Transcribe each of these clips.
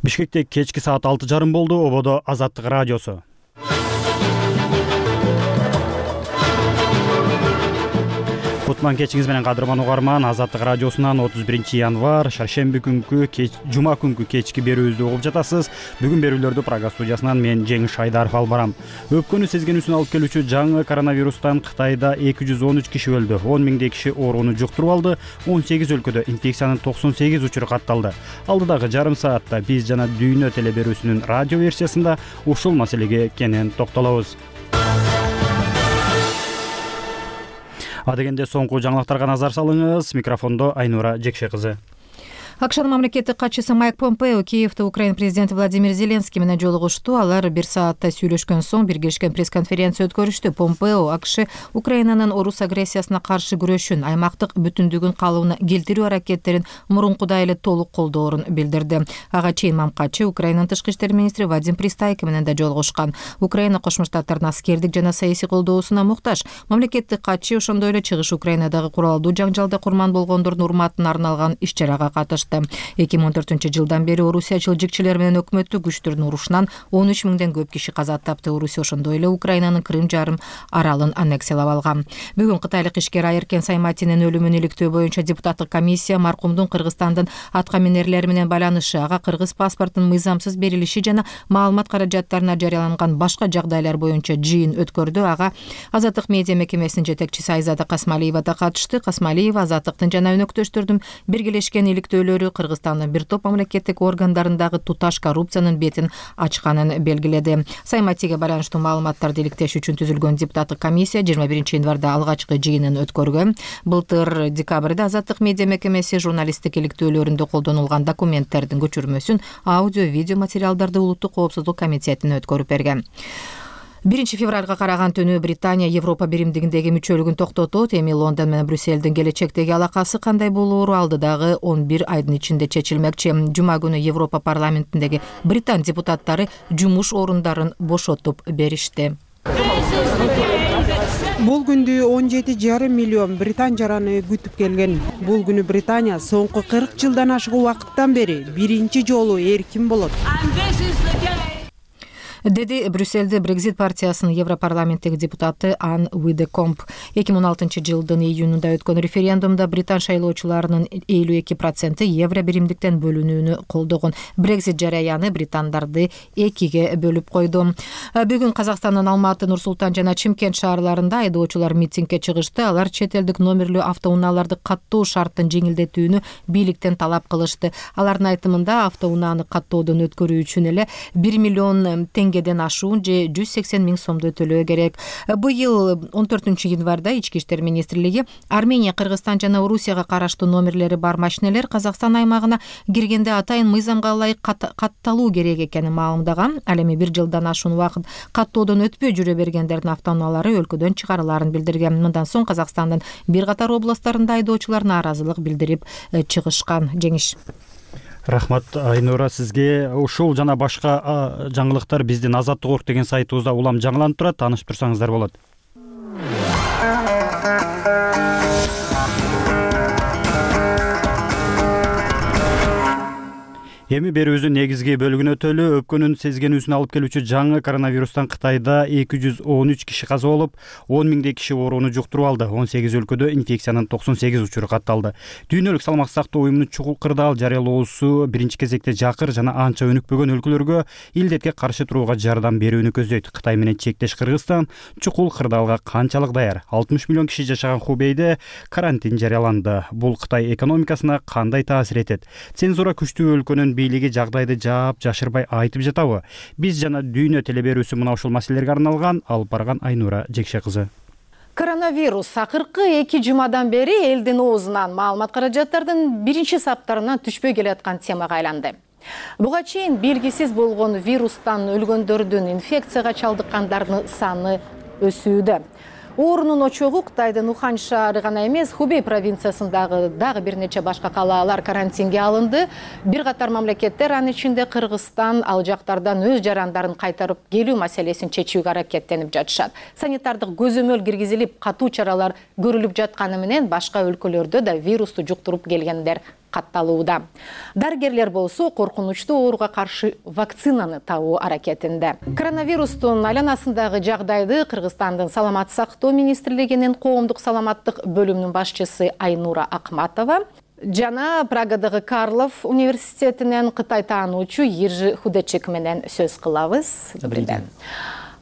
Бишкекте кечки саат 6:30 болду. Ободо Азаттык радиосу. Кутман кечиңиз менен кадырман угарман. Азаттык радиосунан 31 январ шаршемби күнкү жума күнкү кечки берүүбүздү угуп жатасыз. Бүгүн берүүлөрдү Прага студиясынан мен Жеңиш Шайдаров алып барам. Өпкөнү сезгенүүсүн алып келүүчү жаңы коронавирустан Кытайда 213 киши өлдү. 10 миңдей киши ооруну жуктуруп алды. 18 өлкөдө инфекциянын 98 учуру катталды. Алдыдагы жарым саатта биз жана дүйнө телеберүүсүнүн радио версиясында ушул маселеге кенен токтолобуз. Адегенде соңку жаңылыктарга назар салыңыз. Микрофондо Айнура Жекше кызы. АКШнын мамлекеттик катчысы Майк Помпео Киевде Украина президенти Владимир Зеленский менен жолугушту. Алар 1 саатта сүйлөшкөн соң биргелешкен пресс-конференция өткөрүштү. Помпео АКШ Украинанын орус агрессиясына каршы күрөшүн, аймактык бүтүндүгүн калыбына келтирүү аракеттерин мурункудай эле толук колдоорун билдирди. Ага чейин Мамкачы Украинанын тышкы иштер министри Вадим Пристайко менен да жолугушкан. Украина Кошмо Штаттардын аскердик жана саясий колдоосуна муктаж. Мамлекеттик катчы ошондой эле чыгыш Украинадагы куралдуу жаңжалда курман болгондордун урматына арналган иш-чарага катышты. 2014-жылдан бери орусиячыл жикчилер менен өкмөттүк күчтөрдүн урушунан 13 миңден көп киши каза тапты. Орусия ошондой эле Украинанын Крым жарым аралын аннексиялап алган. Бүгүн кытайлык ишкер Айеркен Сайматинин өлүмүн иликтөө боюнча депутаттык комиссия маркумдун Кыргызстандын атка минерлери менен байланышы, ага кыргыз паспортунун мыйзамсыз берилиши жана маалымат каражаттарына жарыяланган башка жагдайлар боюнча жыйын өткөрдү. Ага Азаттык медиа мекемесинин жетекчиси Айзада Касмалиева да катышты. Касмалиева Азаттыктын жана өнөктөштөрдүн биргелешкен иликтөөлөрү Кыргызстандын бир топ мамлекеттик органдарындагы туташ коррупциянын бетин ачканын белгиледи. Сайматиге байланыштуу маалыматтарды иликтеш үчүн түзүлгөн депутаттык комиссия 21 январда алгачкы жыйынын өткөргөн. Былтыр декабрда Азаттык медиа мекемеси журналисттик иликтөөлөрүндө колдонулган документтердин көчүрмөсүн, аудио, видео материалдарды Улуттук коопсуздук комитетине өткөрүп берген. 1 февралга караган түнү Британия Европа биримдигиндеги мүчөлүгүн токтотот. Эми Лондон менен Брюссельдин келечектеги алакасы кандай болоору алдыдагы 11 айдын ичинде чечилмекчи. Жума күнү Европа парламентиндеги британ депутаттары жумуш орундарын бошотуп беришти. Бул күндү 17,5 миллион британ жараны күтүп келген. Бул күнү Британия соңку 40 жылдан ашык убакыттан бери биринчи жолу эркин болот, деди Брюссельде Брекзит партиясынын Европарламенттеги депутаты Ан Уидекомп. 2016 жылдын июнунда өткөн референдумда британ шайлоочуларынын 52% евро биримдиктен бөлүнүүнү колдогон. Брекзит жараяны британдарды экиге бөлүп койду. Бүгүн Казакстандын Алматы, Нур Султан жана Чымкент шаарларында айдоочулар митингге чыгышты. Алар чет элдик номерлүү автоунааларды каттоо шарттын жеңилдетүүнү бийликтен талап кылышты. Алардын айтымында автоунааны каттоодон өткөрүү үчүн эле 1 миллион теңгеден ашуун же 180 миң сомду төлөө керек. Быйыл 14 январда Ички иштер министрлиги Армения, Кыргызстан жана Орусияга караштуу номерлери бар машинелер Казакстан аймагына киргенде атайын мыйзамга ылайык катталуу керек экенин маалымдаган. Ал эми 1 жылдан ашуун убакыт каттоодон өтпөй жүрө бергендердин автоунаалары өлкөдөн чыгарылаарын билдирген. Мындан соң Казакстандын бир катар областтарында айдоочулар нааразылык билдирип чыгышкан. Жеңиш. Рахмат Айнура сизге. Ушул жана башка жаңылыктар биздин Азаттык деген сайтыбызда улам жаңыланып турат. Таанышып турсаңыздар болот. Эми берүүбүздүн негизги бөлүгүнө өтөлү. Өпкөнүн сезгенүүсүн алып келүүчү жаңы коронавирустан Кытайда 213 киши каза болуп, 10 миңдей киши ооруну жуктуруп алды. 18 өлкөдө инфекциянын 98 учуру катталды. Дүйнөлүк саламаттык сактоо уюмунун чукул кырдаал жарыялоосу биринчи кезекте жакыр жана анча өнүкпөгөн өлкөлөргө илдетке каршы турууга жардам берүүнү көздөйт. Кытай менен чектеш Кыргызстан чукул кырдаалга канчалык даяр? 60 миллион киши жашаган Хубейде карантин жарыяланды. Бул Кытай экономикасына кандай таасир этет? Цензура күчтүү өлкөнүн бийлиги жагдайды жаап жашырбай айтып жатабы? Биз жана дүйнө телеберүүсү мына ушул маселелерге арналган алып барган Айнура Жекше кызы. Коронавирус акыркы 2 жумадан бери элдин оозунан маалымат каражаттардын биринчи саптарынан түшпөй келаткан темага айланды. Буга чейин белгисиз болгон вирустан өлгөндөрдүн, инфекцияга чалдыккандардын саны өсүүдө. Оорунун очогу Кытайдын Ухан шаары гана эмес, Хубей провинциясындагы дагы бир нече башка калаалар карантинге алынды. Бир катар мамлекеттер, анын ичинде Кыргызстан, ал жактардан өз жарандарын кайтарып келүү маселесин чечүүгө аракеттенип жатышат. Санитардык көзөмөл киргизилип, катуу чаралар көрүлүп жатканы менен башка өлкөлөрдө да вирусту жуктуруп келгендер катталууда. Дарыгерлер болсо коркунучтуу ооруга каршы вакцинаны табуу аракетинде. Коронавирустун айланасындагы жагдайды Кыргызстандын саламаттык сактоо министрлигинин коомдук саламаттык бөлүмүнүн башчысы Айнура Акматова жана Прагадагы Карлов университетинен Кытай таануучу Ержи Худечек менен сөз кылабыз.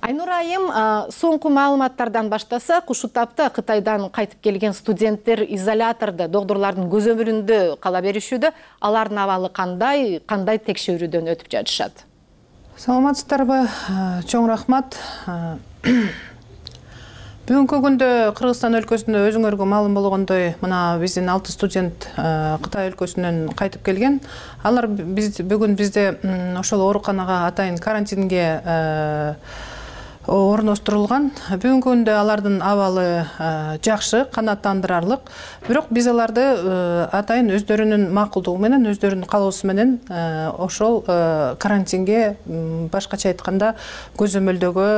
Айнура айым, соңку маалыматтардан баштасак, ушул тапта Кытайдан кайтып келген студенттер изолятордо, доктурлардын көзөмөлүндө кала беришүүдө. Алардын абалы кандай текшерүүдөн өтүп жатышат? Саламатсыздарбы, чоң рахмат. Бүгүнкү күндө Кыргызстан өлкөсүндө өзүңөргө маалым болгондой, мына биздин 6 студент Кытай өлкөсүнөн кайтып келген. Алар бүгүн бизде ошол ооруканага атайын карантинге орноштурулган. Бүгүнкү күндө алардын абалы жакшы, канааттандырарлык. Бирок биз аларды атайын өздөрүнүн макулдугу менен, өздөрүнүн каалоосу менен ошол карантинге, башкача айтканда, көзөмөлдөгө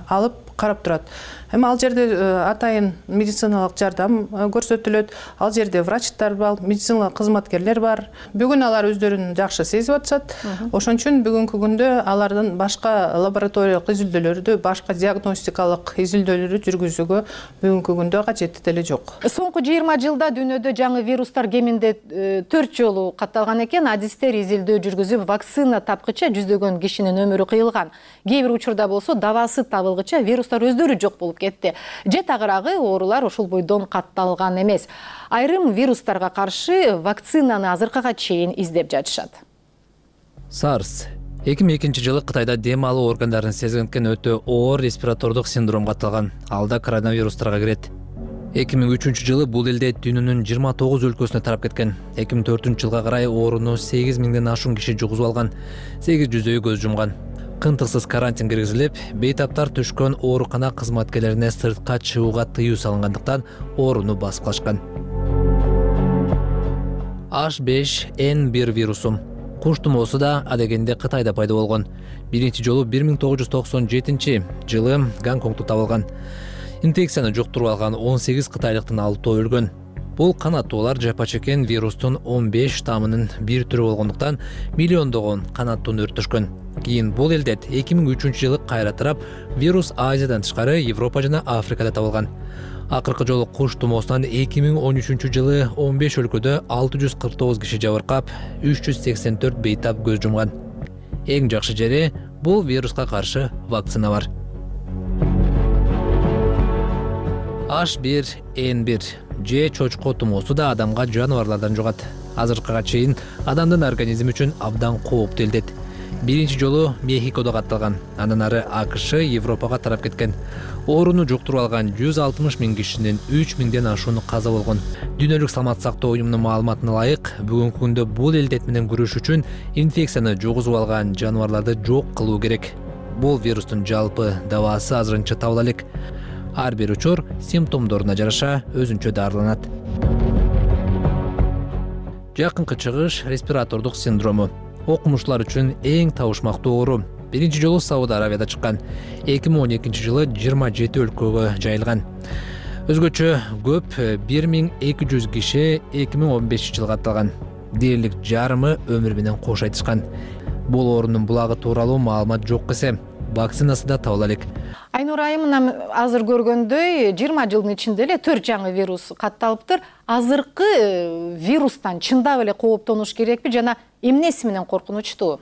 алып карап турат. Эми ал жерде атайын медициналык жардам көрсөтүлөт. Ал жерде врачтар бар, медициналык кызматкерлер бар. Бүгүн алар өздөрүн жакшы сезип атышат. Ошон үчүн бүгүнкү күндө алардын башка лабораториялык изилдөөлөрдү, башка диагностикалык изилдөөлөрдү жүргүзүүгө бүгүнкү күндө кажети деле жок. Соңку 20 жылда дүйнөдө жаңы вирустар кеминде 4 жолу катталган экен. Адистер изилдөө жүргүзүп, вакцина тапкыча жүздөгөн кишинин өмүрү кыйылган. Кээ бир учурда болсо дабасы табылгыча вирустар өздөрү жок болуп кетти. Же тагыраагы оорулар ошол бойдон катталган эмес. Айрым вирустарга каршы вакцинаны азыркыга чейин издеп жатышат. SARS 2002 жылы Кытайда дем алуу органдарын сезгенкен өтө оор респиратордук синдромго аталган. Алда коронавирустарга кирет. 2003 жылы бул элде дүйнөнүн 29 өлкөсүнө тарап кеткен. 2004 жылга карай ооруну 8000ден ашуун киши жугузуп алган. 800дөйү көз жумган. Кынтыксыз карантин киргизилип, бейтаптар түшкөн оорукана кызматкерлерине сыртка чыгууга тыюу салынгандыктан ооруну басып калышкан. H5N1 вирусу куш тумоосу да адегенде Кытайда пайда болгон. Биринчи жолу 1997 жылы Гонконгдо табылган. Инфекцияны жуктуруп алган 18 кытайлыктын 6-ы өлгөн. Бул канаттуулар жапа чеккен вирустун 15 штаммынын бир түрү болгондуктан миллиондогон канаттууну өрттөшкөн. Кийин бул элдет 2003 жылы кайра тарап, вирус Азиядан тышкары Европа жана Африкада табылган. Акыркы жолу куш тумоосунан 2013 жылы 15 өлкөдө 649 киши жабыркап, 384 бейтап көз жумган. Эң жакшы жери бул вируска каршы вакцина бар. H1N1 же чочко тумоосу да адамга жаныбарлардан жугат. Азыркыга чейин адамдын организми үчүн абдан кооптуу элдет. Биринчи жолу Мехикодо катталган, андан ары АКШ, Европага тарап кеткен. Ооруну жуктуруп алган 160 000 кишинин 3000ден ашууну каза болгон. Дүйнөлүк саламаттык сактоо уюмунун маалыматына ылайык, бүгүнкү күндө бул элдет менен күрөш үчүн инфекцияны жугузуп алган жаныбарларды жок кылуу керек. Бул вирустун жалпы дабасы азырынча табыла элек. Ар бир учур симптомдоруна жараша өзүнчө дарыланат. Жакынкы чыгыш респиратордук синдрому. Окумуштуулар үчүн эң табышмактуу оору. Биринчи жолу Сауд Арабияда чыккан. 2012 жылы 27 өлкөгө жайылган. Өзгөчө көп 1200 киши 2015 жылга аталган. Дээрлик жарымы өмүр менен кош айтышкан. Бул оорунун булагы тууралуу маалымат жок эсе, вакцинасы да табыла элек. Айнура айым, азыр көргөндөй 20 жылдын ичинде эле 4 жаңы вирус катталыптыр. Азыркы вирустан чындап эле кооптонуш керекпи жана эмнеси менен коркунучтуу?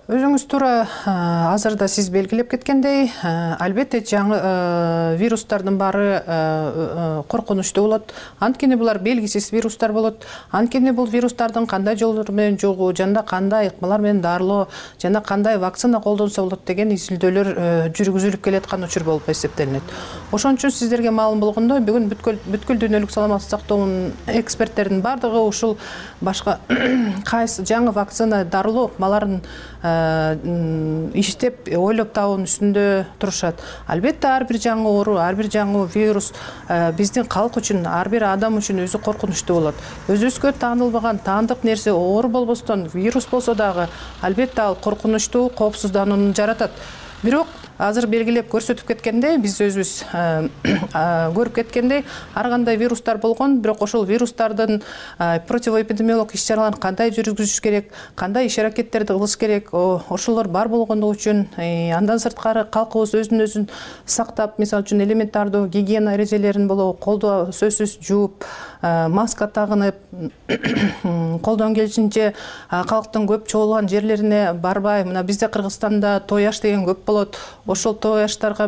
Өзүңүз туура азырда сиз белгилеп кеткендей, албетте жаңы вирустардын баары коркунучтуу болот. Анткени булар белгисиз вирустар болот. Анткени бул вирустардын кандай жолдор менен жугуу, жана кандай ыкмалар менен дарылоо, жана кандай вакцина колдонсо болот деген изилдөөлөр жүргүзүлүп келаткан учур болуп эсептелинет. Ошон үчүн сиздерге маалым болгондой, бүгүн бүткүл дүйнөлүк саламаттык сактоонун эксперттердин бардыгы ушул башка кайсы жаңы вакцина дарылоо ыкмаларын иштеп, ойлоп табуунун үстүндө турушат. Албетте ар бир жаңы оору, ар бир жаңы вирус биздин калк үчүн, ар бир адам үчүн өзү коркунучтуу болот. Өзүбүзгө таанылбаган, таандык нерсе оору болбостон, вирус болсо дагы албетте ал коркунучтуу, коопсузданууну жаратат. Бирок азыр белгилеп көрсөтүп кеткендей, биз өзүбүз көрүп кеткендей, ар кандай вирустар болгон, бирок ошол вирустардын противоэпидемиологик иш-чараларын кандай жүргүзүш керек, кандай иш-аракеттерди кылыш керек, ошолор бар болгондугу үчүн андан сырткары калкыбыз өзүн сактап, мисалы үчүн элементардуу гигиена эрежелерин болобу, колду сөзсүз жууп, маска тагынып, колдон келишинче калктын көп чогулган жерлерине барбай, мына бизде Кыргызстанда той аш деген көп болот. Ошол той аштарга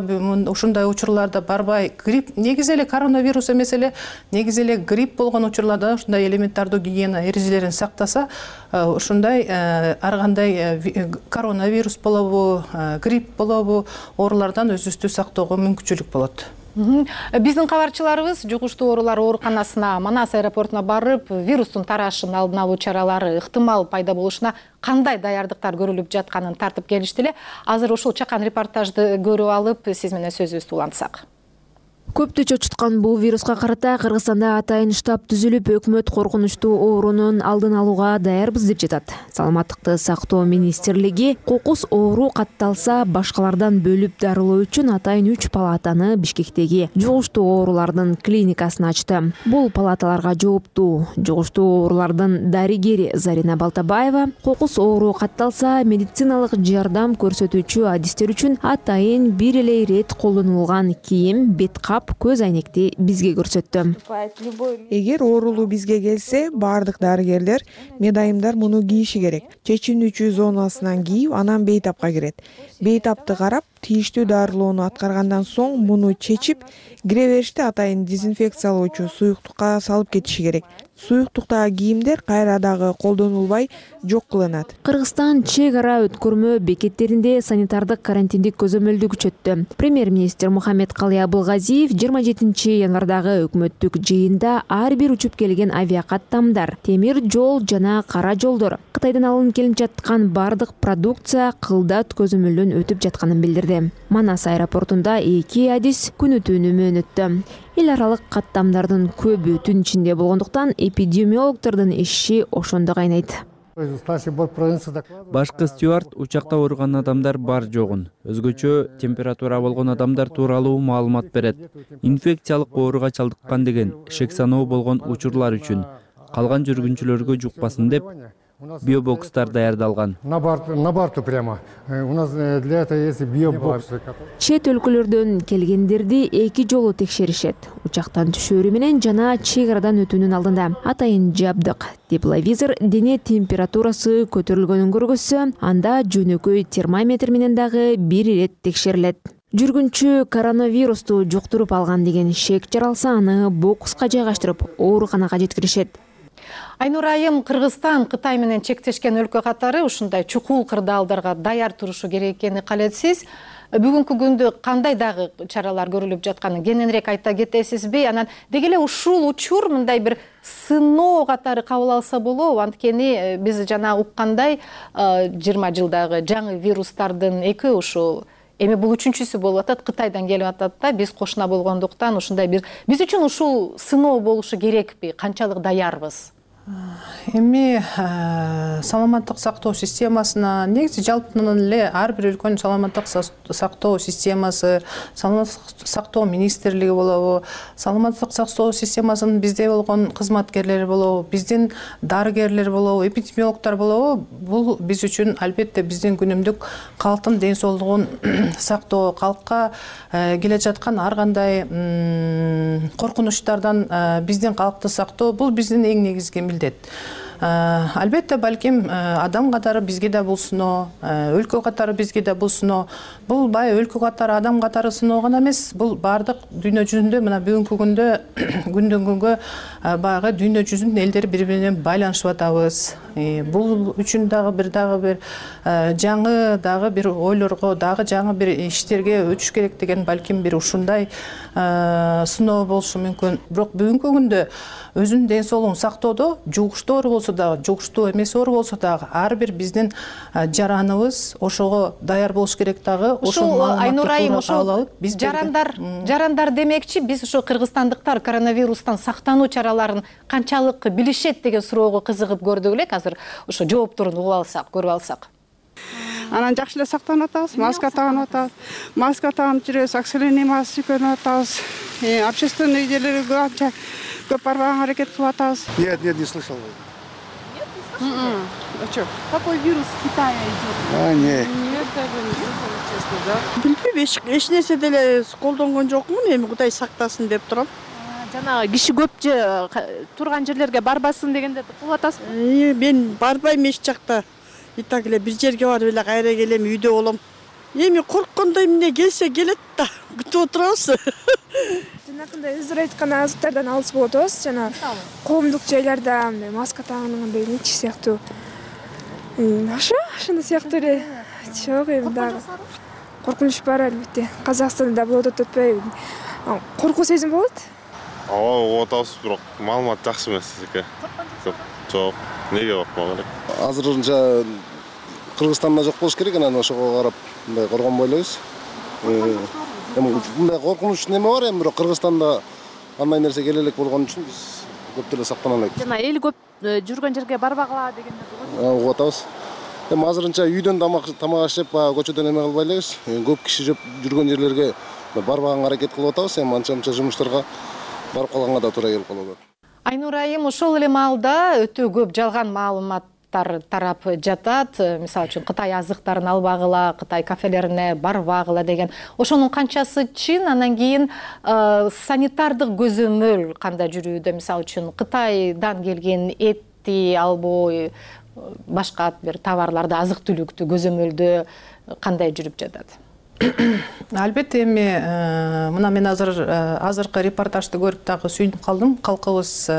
ушундай учурларда барбай, грипп негизи эле коронавирус эмес эле, негизи эле грипп болгон учурларда ушундай элементардуу гигиена эрежелерин сактаса, ушундай ар кандай коронавирус болобу, грипп болобу, оорулардан өзүбүздү сактоого мүмкүнчүлүк болот. Биздин кабарчыларыбыз жугуштуу оорулар ооруканасына, Манас аэропортуна барып, вирустун тарашын алдын алуу чаралары ыктымал пайда болушуна кандай даярдыктар көрүлүп жатканын тартып келишти эле. Азыр ушул чакан репортажды көрүп алып, сиз менен сөзүбүздү улантсак. Көптү чочуткан бул вируска карата Кыргызстанда атайын штаб түзүлүп, өкмөт коркунучтуу оорунун алдын алууга даярбыз деп жатат. Саламаттыкты сактоо министрлиги кокус оору катталса башкалардан бөлүп дарылоо үчүн атайын 3 палатаны Бишкектеги жугуштуу оорулардын клиникасына ачты. Бул палаталарга жооптуу жугуштуу оорулардын дарыгери Зарина Балтабаева кокус оору катталса медициналык жардам көрсөтүүчү адистер үчүн атайын бир эле ирет колдонулган кийим, бет кап, көз айнекти бизге көрсөттү. Эгер оорулуу бизге келсе, баардык дарыгерлер, медайымдар муну кийиши керек. Чечүүчү зонасынан кийип, анан бейтапка кирет. Бейтапты карап, тийиштүү дарылоону аткаргандан соң муну чечип, кире бериште атайын дезинфекциялоочу суюктукка салып кетиши керек. Суюктуктагы кийимдер кайра дагы колдонулбай жок кылынат. Кыргызстан чек ара өткөрмө бекеттеринде санитардык карантиндик көзөмөлдү күчөттү. Премьер-министр Мухаммед Калый Абылгазиев 27 январдагы өкмөттүк жыйында ар бир учуп келген авиакаттамдар, темир жол жана кара жолдор, Кытайдан алынып келип жаткан бардык продукция кылдат көзөмөлдөн өтүп жатканын билдирди. Манас аэропортунда 2 адис күнү-түнү мөөнөттү. Эл аралык каттамдардын көбү түн ичинде болгондуктан эпидемиологдордун иши ошондо кайнайт. Башкы стюард учакта ооруган адамдар бар жогун, өзгөчө температура болгон адамдар тууралуу маалымат берет. Инфекциялык ооруга чалдыккан деген шек саноо болгон учурлар үчүн калган жүргүнчүлөргө жукпасын деп биобокстар даярдалган. На борту прямо. У нас для этого есть биобокс. Чет өлкөлөрдөн келгендерди 2 жолу текшеришет. Учактан түшөөрү менен жана чек арадан өтүүнүн алдында атайын жабдык, тепловизор дене температурасы көтөрүлгөнүн көргөзсө, анда жөнөкөй термометр менен дагы бир ирет текшерилет. Жүргүнчү коронавирусту жуктуруп алган деген шек жаралса, аны бокска жайгаштырып, ооруканага жеткиришет. Айнур айым, Кыргызстан Кытай менен чектешкен өлкө катары ушундай чукул кырдаалдарга даяр турушу керек экени калетсиз. Бүгүнкү күндө кандай дагы чаралар көрүлүп жатканын кененирээк айта кетесизби? Анан деги эле ушул учур мындай бир сыноо катары кабыл алса болобу? Анткени биз жана уккандай 20 жылдагы жаңы вирустардын эки ушул эми бул үчүнчүсү болуп атат, Кытайдан келип атат да, биз кошуна болгондуктан ушундай биз үчүн ушул сыноо болушу керекпи? Канчалык даярбыз? Эми саламаттык сактоо системасына негизи жалпынан эле ар бир өлкөнүн саламаттык сактоо системасы, саламаттык сактоо министрлиги болобу, саламаттык сактоо системасынын бизде болгон кызматкерлери болобу, биздин дарыгерлер болобу, эпидемиологдор болобу, бул биз үчүн албетте биздин күнүмдүк калктын ден соолугун сактоо, калкка келе жаткан ар кандай коркунучтардан биздин калкты сактоо бул биздин эң негизги милдет. Албетте балким адам катары бизге да бул сыноо, өлкө катары бизге да бул сыноо. Бул бай өлкө катары, адам катары сыноо гана эмес, бул бардык дүйнө жүзүндө мына бүгүнкү күндө күндөн күнгө баягы дүйнө жүзүнүн элдери бири менен байланышып атабыз. Бул үчүн дагы бир жаңы дагы бир ойлорго, дагы жаңы бир иштерге өтүш керек деген балким бир ушундай сыноо болушу мүмкүн. Бирок бүгүнкү күндө өзүнүн ден соолугун сактоодо жугуштуу оору болсо дагы, жугуштуу эмес оору болсо дагы ар бир биздин жараныбыз ошого даяр болуш керек дагы. Ушул Айнур айым, ушул жарандар демекчи, биз ушу кыргызстандыктар коронавирустан сактануу чараларын канчалык билишет деген суроого кызыгып көрдүк элек. Азыр ошо жоопторун угуп алсак, көрүп алсак. Анан жакшы эле сактанып атабыз, маска тагынып атабыз. Маска тагынып жүрөбүз, оксигенемасы көрүнүп атабыз. Общественный жерлерге канча көп барбаганга аракет кылып атабыз. Нет, не слышал. Какой вирус в Китае идет? Не. Нет, даже не слышала, честно, да. Билбейм, эч нерсе деле колдонгон жокмун, эми Кудай сактасын деп турам. Жанагы киши көп турган жерлерге барбасын дегенде кылып атасызбы? Мен барбайм эч жакта. И так эле бир жерге барып эле кайра келем, үйдө болом. Эми корккондой эмне келсе келет да, күтүп отурабыз. Жанакындай өздөрү айткан азыктардан алыс болуп атабыз. Жана коомдук жайларда мындай маска тагынгандай нечи сыяктуу. Ошондой сыяктуу эле. Жок, эми дагы коркунуч бар албетте. Казакстанда болот атпайбы? Коркуу сезим болот? Ооба, атабыз, бирок маалымат жакшы эмес экен. Жок, неге коркмоо керек? Азырынча Кыргызстанда жок болуш керек, анан ошого карап мындай коргонбой элебиз. Мындай коркунуч неме бар эми, бирок Кыргызстанда андай нерсе келе элек болгон үчүн биз көп деле сактана элек. Жана эл көп жүргөн жерге барбагыла дегенде угуп атабыз. Эми азырынча үйдөн тамак ашып, көчөдөн эме кылбай элебиз. Көп киши жүргөн жерлерге барбаганга аракет кылып атабыз. Эми анча-мынча жумуштарга барып калганга да туура келип калып атат. Айнур айым, ошол эле маалда өтө көп жалган маалыматтар тарап жатат. Мисалы үчүн Кытай азыктарын албагыла, Кытай кафелерине барбагыла деген. Ошонун канчасы чын? Анан кийин санитардык көзөмөл кандай жүрүүдө? Мисалы үчүн Кытайдан келген этти албой, башка бир товарларды, азык-түлүктү көзөмөлдөө кандай жүрүп жатат? Албетте, эми мына мен азыркы репортажды көрүп дагы сүйүнүп калдым. Калкыбыз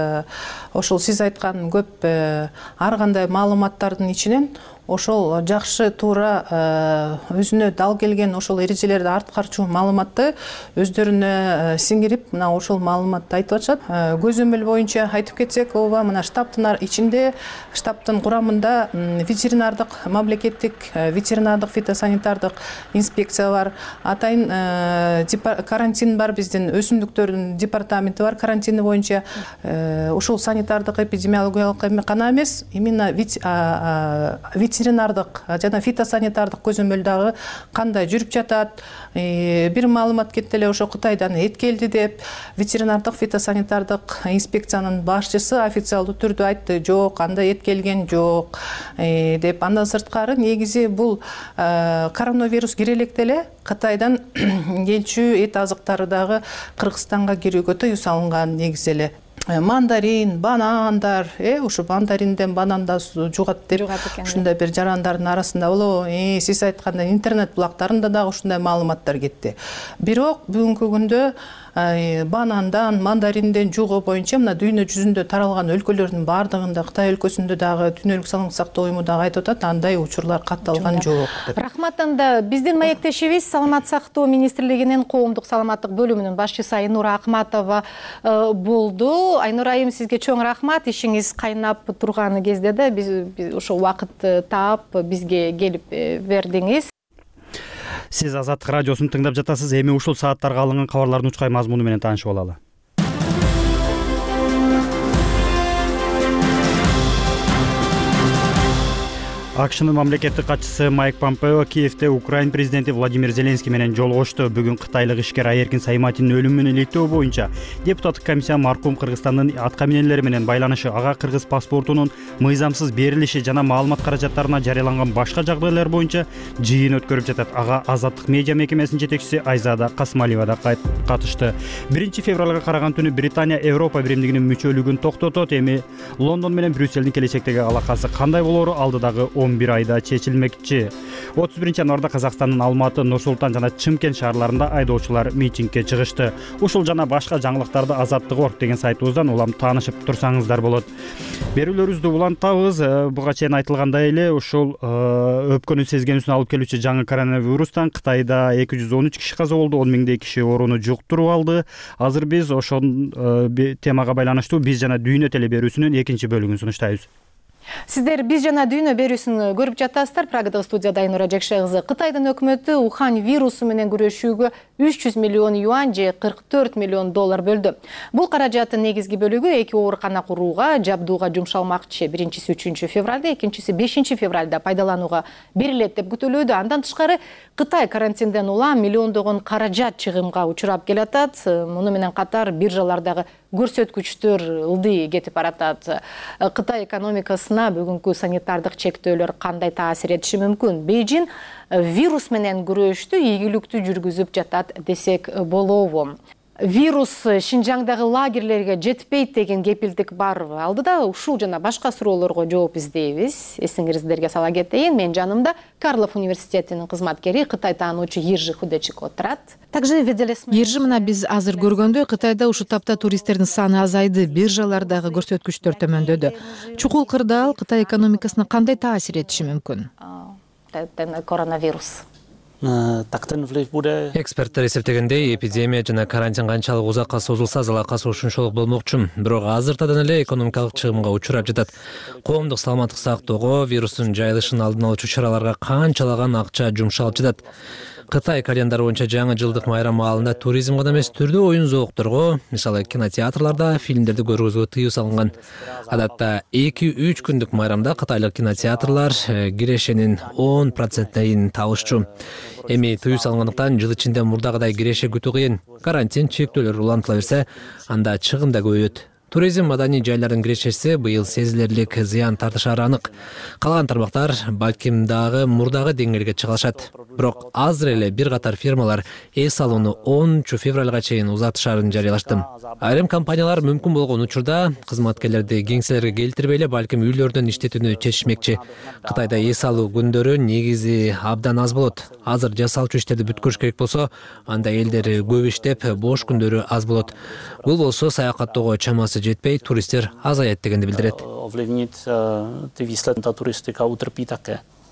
ошол сиз айткан көп ар кандай маалыматтардын ичинен ошол жакшы туура өзүнө дал келген ошол эрежелерди аткарчу маалыматты өздөрүнө сиңирип, мына ошол маалыматты айтып атышат. Көзөмөл боюнча айтып кетсек, ооба, мына штабтын ичинде, штабтын курамында ветеринардык, мамлекеттик ветеринардык фитосанитардык инспекция бар. Атайын карантин бар, биздин өсүмдүктөрдүн департаменти бар, карантини боюнча. Ошол санитардык эпидемиологиялык гана эмес, именно ветеринардык жана фитосанитардык көзөмөл дагы кандай жүрүп жатат. Бир маалымат кетти эле, ошо Кытайдан эт келди деп, ветеринардык фитосанитардык инспекциянын башчысы официалдуу түрдө айтты, жок, андай эт келген жок деп. Андан сырткары негизи бул коронавирус кире электе эле Кытайдан келчү эт азыктары дагы Кыргызстанга кирүүгө тыюу салынган негизи эле. Мандарин, банандар, ушу мандаринден бананда жугат деп ушундай бир жарандардын арасында болобу? Сиз айткандай интернет булактарында дагы ушундай маалыматтар кетти. Бирок бүгүнкү күндө банандан, мандаринден жугуу боюнча мына дүйнө жүзүндө таралган өлкөлөрдүн баардыгында, Кытай өлкөсүндө дагы Дүйнөлүк саламаттык сактоо уюму дагы айтып атат, андай учурлар катталган жок деп. Рахмат. Анда биздин маектешибиз Саламаттык сактоо министрлигинин коомдук саламаттык бөлүмүнүн башчысы Айнура Акматова болду. Айнур айым, сизге чоң рахмат. Ишиңиз кайнап турган кезде да биз ошол убакыт таап бизге келип бердиңиз. Сиз Азаттык радиосун тыңдап жатасыз. Эми ушул сааттарга алынган кабарлардын учкай мазмуну менен таанышып алалы. АКШнын мамлекеттик катчысы Майк Помпео Киевде Украин президенти Владимир Зеленский менен жолугушту. Бүгүн кытайлык ишкер Айеркин Сайматинин өлүмүн иликтөө боюнча депутаттык комиссия маркум Кыргызстандын аткаминерлери менен байланышы, ага кыргыз паспортунун мыйзамсыз берилиши жана маалымат каражаттарына жарыяланган башка жагдайлар боюнча жыйын өткөрүп жатат. Ага Азаттык медиа мекемесинин жетекчиси Айзада Касмалиева да катышты. 1-февралга караган түнү Британия Европа биримдигинин мүчөлүгүн токтотот. Эми Лондон менен Брюсселдин келечектеги алакасы кандай болоору алдыдагы 11 айда чечилмекчи. 31-январда Казакстандын Алматы, Нур Султан жана Чымкент шаарларында айдоочулар митингге чыгышты. Ушул жана башка жаңылыктарды Азаттык.org деген сайтыбыздан улам таанышып турсаңыздар болот. Берүүлөрүбүздү улантабыз. Буга чейин айтылгандай эле ушул өпкөнүн сезгенүүсүн алып келүүчү жаңы коронавирустан Кытайда 213 киши каза болду, 10 миңдей киши ооруну жуктуруп алды. Азыр биз ошол темага байланыштуу биз жана дүйнө теле берүүсүнүн экинчи бөлүгүн сунуштайбыз. Сиздер Биз жана дүйнө берүүсүн көрүп жатасыздар. Прагадагы студияда Айнура Жекше кызы. Кытайдын өкмөтү Ухань вирусу менен күрөшүүгө 300 миллион юань же 44 миллион доллар бөлдү. Бул каражаттын негизги бөлүгү 2 оорукана курууга, жабдууга жумшалмакчы. Биринчиси 3 февралда, экинчиси 5 февралда пайдаланууга берилет деп күтүлүүдө. Андан тышкары Кытай карантинден улам миллиондогон каражат чыгымга учурап келатат. Муну менен катар биржалардагы көрсөткүчтөр ылдый кетип баратат. Кытай экономикасына бүгүнкү санитардык чектөөлөр кандай таасир этиши мүмкүн? Бейжин вирус менен күрөштү ийгиликтүү жүргүзүп жатат десек болобу? Вирус Шинжаңдагы лагерлерге жетпейт деген кепилдик барбы? Алдыда ушул жана башка суроолорго жооп издейбиз. Эсиңиздерге сала кетейин, мен жанымда Карлов университетинин кызматкери, Кытай таануучу Ержи Худечик отурат. Ержи, мына биз азыр көргөндөй Кытайда ушул тапта туристтердин саны азайды, биржалардагы көрсөткүчтөр төмөндөдү. Чукул кырдаал Кытай экономикасына кандай таасир этиши мүмкүн? Коронавирус. Эксперттер эсептегендей, эпидемия жана карантин канчалык узакка созулса, залакасы ушунчолук болмокчу. Бирок азыртадан эле экономикалык чыгымга учурап жатат. Коомдук саламаттык сактоого, вирустун жайылышын алдын алуучу чараларга канчалаган акча жумшалып жатат. Кытай календары боюнча жаңы жылдык майрам маалында туризм гана эмес, түрдүү оюн зоокторго, мисалы кинотеатрларда фильмдерди көргөзүүгө тыюу салынган. Адатта 2-3 күндүк майрамда кытайлык кинотеатрлар кирешенин 10%-ин табышчу. Эми тыюу салынгандыктан жыл ичинде мурдагыдай киреше күтүү кыйын. Карантин чектөөлөрү улантыла берсе, анда чыгым да көбөйөт. Туризм маданий жайлардын кирешеси быйыл сезилерлик зыян тартышары анык. Калган тармактар балким дагы мурдагы деңгээлге чыга алышат. Бирок азыр эле бир катар фирмалар эс алууну 10 февралга чейин узартышарын жарыялашты. Айрым компаниялар мүмкүн болгон учурда кызматкерлерди кеңселерге келтирбей эле балким үйлөрдөн иштетүүнү чечишмекчи. Кытайда эс алуу күндөрү негизи абдан аз болот. Азыр жасалчу иштерди бүткөрүш керек болсо, анда элдер көп иштеп, бош күндөрү аз болот. Бул болсо саякаттоого чамасы жетпей, туристтер азаят дегенди билдирет.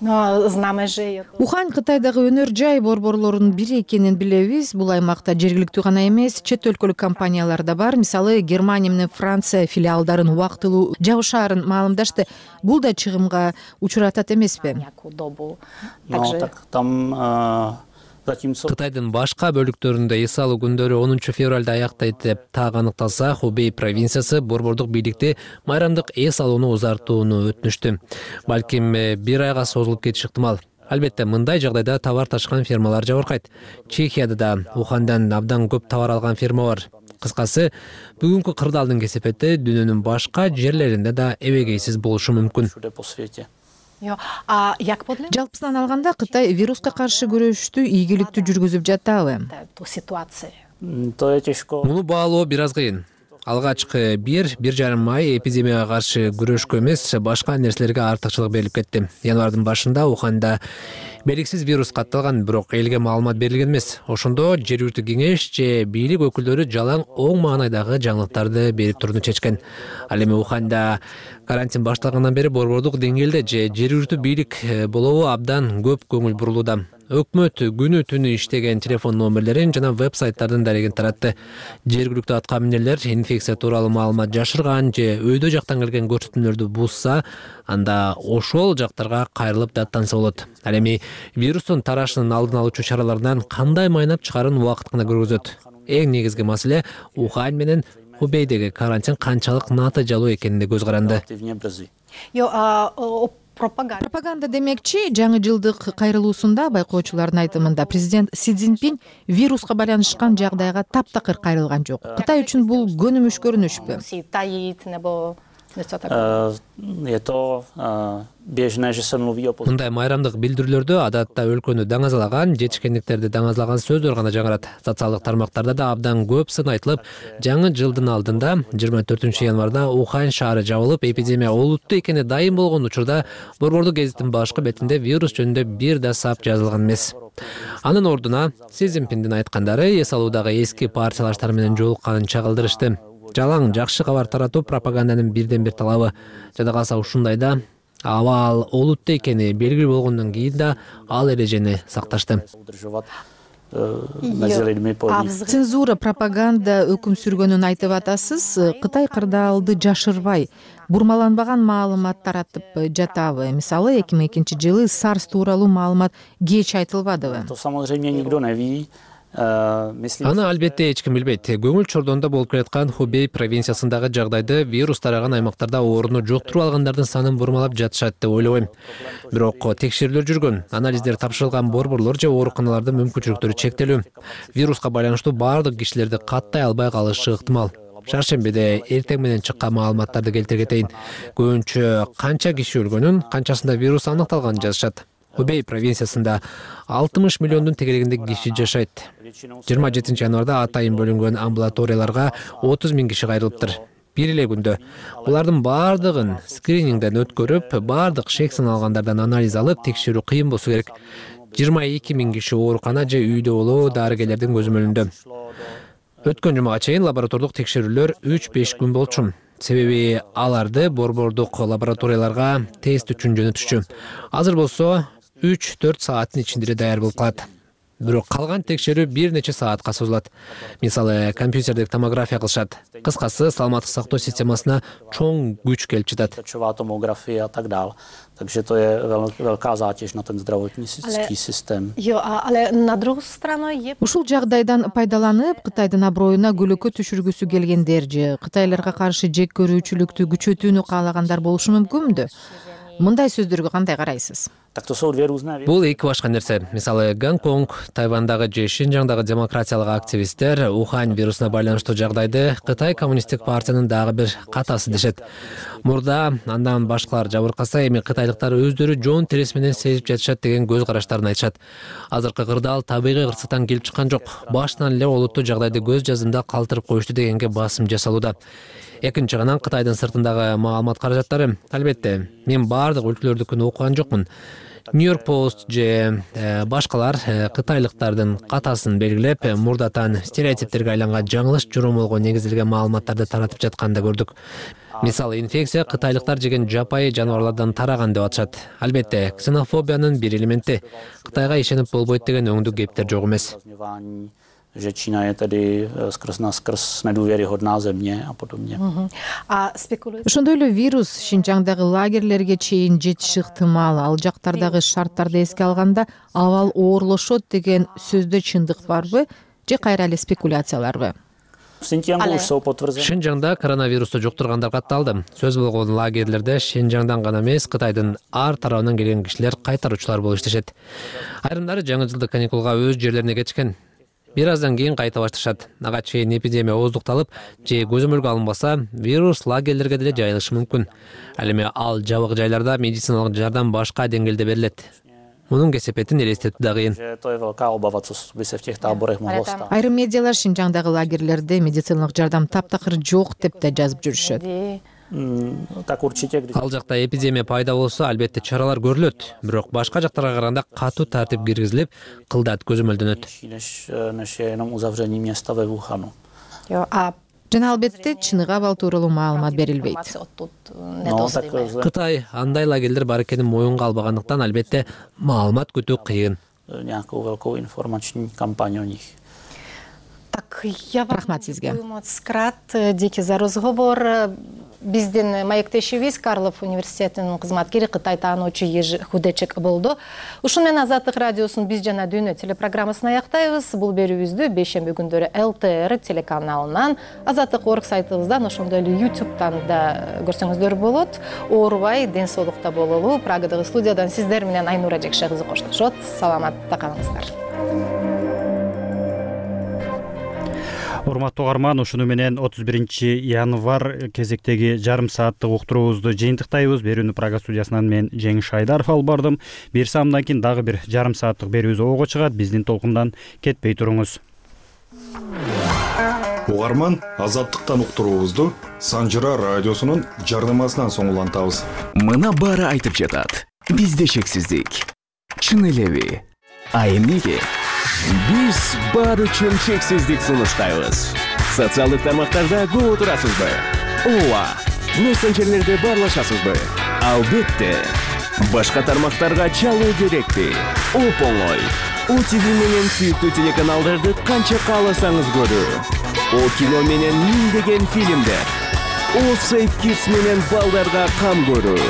Ухань Кытайдагы өнөр жай борборлорунун бири экенин билебиз. Бул аймакта жергиликтүү гана эмес, чет өлкөлүк компаниялар да бар. Мисалы, Германия менен Франция филиалдарын убактылуу жабышаарын маалымдашты. Бул да чыгымга учуратат эмеспи? Кытайдын башка бөлүктөрүндө эс алуу күндөрү 10 февралда аяктайт деп так аныкталса, Хубей провинциясы борбордук бийликти майрамдык эс алууну узартууну өтүнүштү. Балким бир айга созулуп кетиши ыктымал. Албетте, мындай жагдайда товар ташкан фирмалар жабыркайт. Чехияда да Ухандан абдан көп товар алган фирма бар. Кыскасы, бүгүнкү кырдаалдын кесепети дүйнөнүн башка жерлеринде да эбегейсиз болушу мүмкүн. Жалпысынан алганда Кытай вируска каршы күрөштү ийгиликтүү жүргүзүп жатабы? Муну баалоо бир аз кыйын. Алгачкы 1-1,5 ай эпидемияга каршы күрөшкө эмес, башка нерселерге артыкчылык берилип кетти. Январдын башында Уханда белгисиз вирус катталган, бирок элге маалымат берилген эмес. Ошондо жергиликтүү кеңеш же бийлик өкүлдөрү жалаң оң маанайдагы жаңылыктарды берип турууну чечкен. Ал эми Уханда карантин башталгандан бери борбордук деңгээлде же жергиликтүү бийлик болобу абдан көп көңүл бурулууда. Өкмөт күнү түнү иштеген телефон номерлерин жана веб-сайттардын дарегин таратты. Жергиликтүү аткаминерлер инфекция тууралуу маалымат жашырган же өйдө жактан келген көрсөтмөлөрдү бузса, анда ошол жактарга кайрылып даттанса болот. Ал эми вирустун тарашынын алдын алуучу чаралардан кандай майнап чыгарын убакыт гана көргөзөт. Эң негизги маселе Ухань менен Хубейдеги карантин канчалык натыйжалуу экенине көз каранды. Пропаганда демекчи, жаңы жылдык кайрылуусунда байкоочулардын айтымында президент Си Цзиньпин вируска байланышкан жагдайга таптакыр кайрылган жок. Кытай үчүн бул көнүмүш көрүнүшпү? Мындай майрамдык билдирүүлөрдө адатта өлкөнү даңазалаган, жетишкендиктерди даңазалаган сөздөр гана жаңырат. Социалдык тармактарда да абдан көп сын айтылып, жаңы жылдын алдында 24 январда Ухань шаары жабылып, эпидемия олуттуу экени дайым болгон учурда борбордук гезиттин башкы бетинде вирус жөнүндө бир да сап жазылган эмес. Анын ордуна Си Цзиньпиндин айткандары эс алуудагы эски партиялаштар менен жолукканын чагылдырышты. Жалаң жакшы кабар таратуу пропаганданын бирден бир талабы. Жада калса ушундайда абал олуттуу экени белгилүү болгондон кийин да ал эрежени сакташты. Цензура, пропаганда өкүм сүргөнүн айтып атасыз. Кытай кырдаалды жашырбай, бурмаланбаган маалымат таратып жатабы? Мисалы, 2002 жылы SARS тууралуу маалымат кеч айтылбадыбы? Аны албетте эч ким билбейт. Көңүл чордонда болуп келаткан Хубей провинциясындагы жагдайды вирус тараган аймактарда ооруну жуктуруп алгандардын санын бурмалап жатышат деп ойлобойм. Бирок текшерүүлөр жүргөн, анализдер тапшырылган борборлор же ооруканалардын мүмкүнчүлүктөрү чектелүү. Вируска байланыштуу баардык кишилерди каттай албай калышы ыктымал. Шаршембиде эртең менен чыккан маалыматтарды келтире кетейин. Көбүнчө канча киши өлгөнүн, канчасында вирус аныкталганын жазышат. Хубей провинциясында 60 миллиондун тегерегинде киши жашайт. 27 январда атайын бөлүнгөн амбулаторияларга 30 000 киши кайрылыптыр. Бир эле күндө булардын баардыгын скринингден өткөрүп, баардык шек саналгандардан анализ алып, текшерүү кыйын болсо керек. 22 000 киши оорукана же үйдө болуу дарыгерлердин көзөмөлүндө. Өткөн жумага чейин лаборатордук текшерүүлөр 3-5 күн болчу. Себеби аларды борбордук лабораторияларга тест үчүн жөнөтүшчү. Азыр болсо 3-4 сааттын ичинде даяр болуп калат. Бирок калган текшерүү бир нече саатка созулат. Мисалы, компьютердик томография кылышат. Кыскасы, саламаттык сактоо системасына чоң күч келип жатат. Takže to je velká zátěž na ten zdravotnický systém. Ale na druhou stranu je... Ушул жагдайдан пайдаланып, Кытайдын аброюна көлөкө түшүргүсү келгендер же Кытайларга каршы жек көрүүчүлүктү күчөтүүнү каалагандар болушу мүмкүнбү? Мындай сөздөргө кандай карайсыз? Бул эки башка нерсе. Мисалы, Гонконг, Тайвандагы же Шинжаңдагы демократиялык активисттер Ухань вирусуна байланыштуу жагдайды Кытай коммунисттик партиянын дагы бир катасы дешет. Мурда андан башкалар жабыркаса, эми кытайлыктар өздөрү жон терес менен сезип жатышат деген көз караштарын айтышат. Азыркы кырдаал табигый кырсыктан келип чыккан жок. Башынан эле олуттуу жагдайды көз жазымда калтырып коюшту дегенге басым жасалууда. Экинчи жагынан Кытайдын сыртындагы маалымат каражаттары. Албетте, мен баардык өлкөлөрдүкүн окуган жокмун. Нью-Йорк Пост же башкалар кытайлыктардын катасын белгилеп, мурдатан стереотиптерге айланган жаңылыш жоромолго негизделген маалыматтарды таратып жатканды көрдүк. Мисалы, инфекция кытайлыктар жеген жапайы жаныбарлардан тараган деп атышат. Албетте, ксенофобиянын бир элементи. Кытайга ишенип болбойт деген өңдүк кептер жок эмес. Že Čína je tedy skrz na skrz nedůvěryhodná země a podobně. Ошондой эле вирус Шинжаңдагы лагерлерге чейин жетиши ыктымал. Ал жактардагы шарттарды эске алганда абал оорлошот деген сөздө чындык барбы же кайра эле спекуляцияларбы? Шинжаңда коронавирусту жуктургандар катталды. Сөз болгон лагерлерде Шинжаңдан гана эмес, Кытайдын ар тарабынан келген кишилер кайтаруучулар болуп иштешет. Айрымдары жаңы жылдык каникулга өз жерлерине кетишкен. Бир аздан кийин кайта башташат. Ага чейин эпидемия ооздукталып, же көзөмөлгө алынбаса, вирус лагерлерге деле жайылышы мүмкүн. Ал эми ал жабык жайларда медициналык жардам башка деңгээлде берилет. Мунун кесепетин элестетүү да кыйын. Айрым медиалар Шинжаңдагы лагерлерде медициналык жардам таптакыр жок деп да жазып жүрүшөт. Ал жакта эпидемия пайда болсо, албетте чаралар көрүлөт, бирок башка жактарга караганда катуу тартип киргизилип, кылдат көзөмөлдөнөт. Жана албетте чыныгы абал тууралуу маалымат берилбейт. Кытай андай лагерлер бар экенин моюнга албагандыктан албетте маалымат күтүү кыйын. Рахмат сизге. Дики за разговор. Биздин маектешибиз Карлов университетинин кызматкери, Кытай таануучу Ежи Худечек болду. Ушун менен Азаттык радиосунун Биз жана дүйнө телепрограммасын аяктайбыз. Бул берүүбүздү бейшемби күндөрү ЛТР телеканалынан, Азаттык.орг сайтыбыздан, ошондой эле YouTube'дан да көрсөңүздөр болот. Оорубай, ден соолукта бололу. Прагадагы студиядан сиздер менен Айнура Жекше кызы коштошот. Саламатта калыңыздар. Урматтуу угарман, ушуну менен 31 январ кезектеги жарым сааттык уктуруубузду жыйынтыктайбыз. Берүүнү Прага студиясынан мен Жеңиш Айдаров алып бардым. Бир саамдан кийин дагы бир жарым сааттык берүүбүз ого чыгат. Биздин толкундан кетпей туруңуз. Угарман, Азаттыктан уктуруубузду Санжыра радиосунун жардамасынан соң улантабыз. Мына баары айтып жатат. Бизде шексиздик. Чын элеби? А эмнеге? Биз баары үчүн шексиздик сунуштайбыз. Социалдык тармактарда көп отурасызбы? Ооба. Мессенджерлерде баарлашасызбы? Албетте. Башка тармактарга чалуу керекпи? Оп-оңой. ОТВ менен сүйүктүү телеканалдарды канча кааласаңыз көрүү. О кино менен миңдеген фильмдер. О Safe Kids менен балдарга кам көрүү.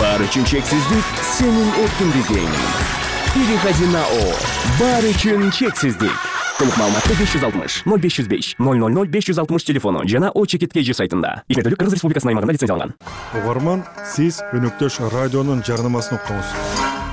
Баары үчүн чексиздик сенин эркиндигиң. Переходи на О. Баары үчүн чексиздик. Толук маалыматты 560 0505 000 560 телефону жана О Чекиткеji сайтында. Игерделик Кыргыз Республикасынын аймагында лицензияланган. Угарман, сиз өнөктөш радионун жарнамасын уктуңуз.